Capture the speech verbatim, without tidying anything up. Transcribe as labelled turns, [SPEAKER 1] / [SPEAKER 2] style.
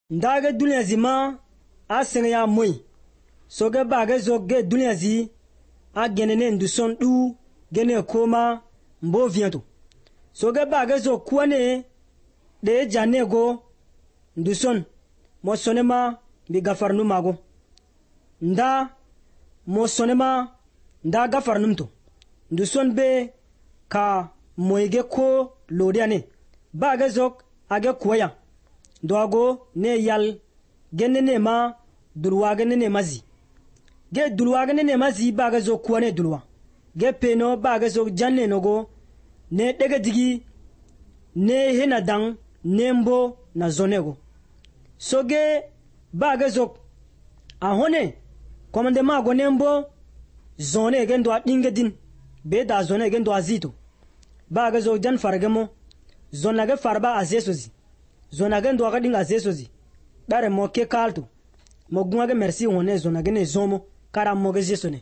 [SPEAKER 1] Ndage dunia zima a senge ya moi soge bage zo ge dunia zi a genene nduson du gene koma mbo viento soge bage zo kwane de janego nduson mo sonema bi gafarnu mago nda mo sonema nda gafarnum to nduson be ka moige ko lodiane bage zo age kwaya doago ne yal genene ma dulwa genene mazi ge dulwa genene mazi baga zo kwane dulwa ge peno baga zo janne nogo ne dege digi ne hena dang nembo na zonego soge baga zo ahone komande ma go nembo zone gen do dinge din be da zone gen do azito baga zo jan fargemo zona ge farba azesozi zona gen do ga dinga azesozi dare mo ke kalto mo gunga ge merci wone zona ge ne zomo kara mo ge jesone